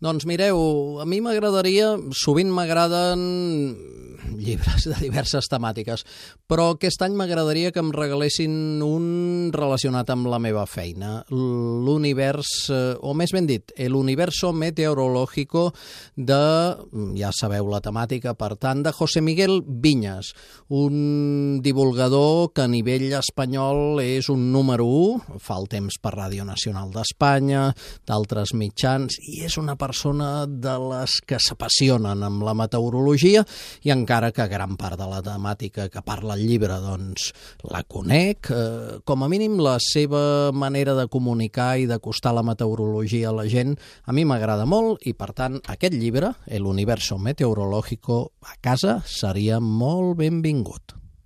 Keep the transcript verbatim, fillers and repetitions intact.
Doncs mireu, a mi m'agradaria, sovint m'agraden llibres de diverses temàtiques, però aquest any m'agradaria que em regalessin un relacionat amb la meva feina, l'univers, o més ben dit, l'universo meteorológico de, ja sabeu la temàtica, per tant, de José Miguel Viñas, un divulgador que a nivell espanyol és un número u, fa el temps per Ràdio Nacional d'Espanya, d'altres mitjans, i és una persona de les que s'apassionen amb la meteorologia, i encara que gran part de la temàtica que parla el llibre doncs la conec, eh, com a mínim la seva manera de comunicar i d'acostar la meteorologia a la gent a mi m'agrada molt i per tant aquest llibre, El universo meteorológico, a casa seria molt benvingut.